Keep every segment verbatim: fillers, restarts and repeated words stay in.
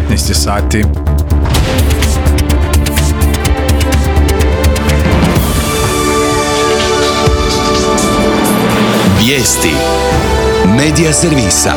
devetnaest sati. Vijesti Medija servisa.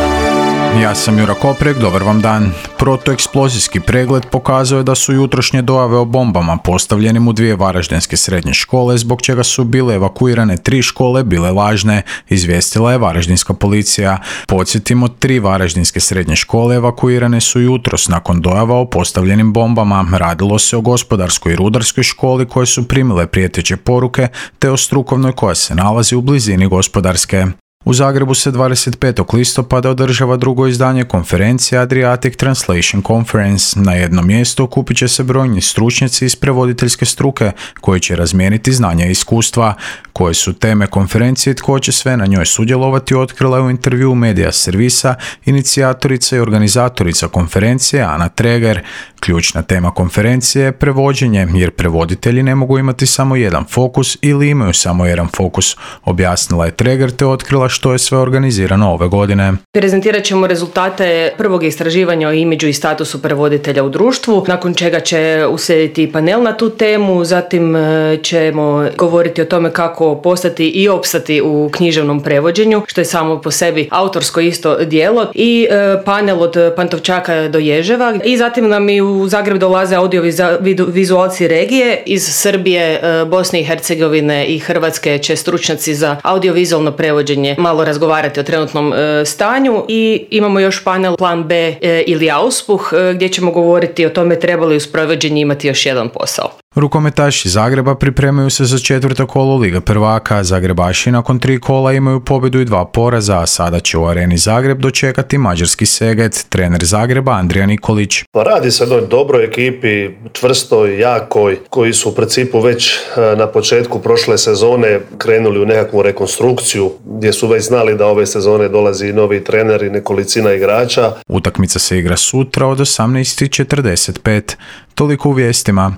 Ja sam Jura Koprek, dobar vam dan. Protueksplozijski pregled pokazuje da su jutrošnje dojave o bombama postavljenim u dvije varaždinske srednje škole, zbog čega su bile evakuirane tri škole, bile lažne, izvijestila je varaždinska policija. Podsjetimo, tri varaždinske srednje škole evakuirane su jutros nakon dojava o postavljenim bombama. Radilo se o gospodarskoj i rudarskoj školi koje su primile prijeteće poruke, te o strukovnoj koja se nalazi u blizini gospodarske. U Zagrebu se dvadeset petog listopada održava drugo izdanje konferencije Adriatic Translation Conference. Na jednom mjestu okupit će se brojni stručnjaci iz prevoditeljske struke koji će razmijeniti znanja i iskustva. Koje su teme konferencije i tko će sve na njoj sudjelovati, otkrila je u intervjuu Medija servisa inicijatorica i organizatorica konferencije Ana Treger. Ključna tema konferencije je prevođenje, jer prevoditelji ne mogu imati samo jedan fokus ili imaju samo jedan fokus, objasnila je Treger te otkrila što je sve organizirano ove godine. Prezentirat ćemo rezultate prvog istraživanja o imidžu i statusu prevoditelja u društvu, nakon čega će uslijediti panel na tu temu, zatim ćemo govoriti o tome kako postati i opstati u književnom prevođenju, što je samo po sebi autorsko isto djelo, i panel od Pantovčaka do Ježeva, i zatim nam i u Zagreb dolaze audiovizualci regije iz Srbije, Bosne i Hercegovine i Hrvatske. Će stručnjaci za audiovizualno prevođenje malo razgovarati o trenutnom e, stanju, i imamo još panel Plan B e, ili Auspuh e, gdje ćemo govoriti o tome treba li uz prevođenje imati još jedan posao. Rukometaši Zagreba pripremaju se za četvrto kolo Lige prvaka. Zagrebaši nakon tri kola imaju pobjedu i dva poraza, a sada će u Areni Zagreb dočekati mađarski Seget. Trener Zagreba Andrija Nikolić. Pa radi se o jednoj dobroj ekipi, čvrstoj, jakoj, koji su u principu već na početku prošle sezone krenuli u nekakvu rekonstrukciju, gdje su već znali da ove sezone dolazi novi trener i nekolicina igrača. Utakmica se igra sutra od osamnaest i četrdeset pet. Toliko u vijestima.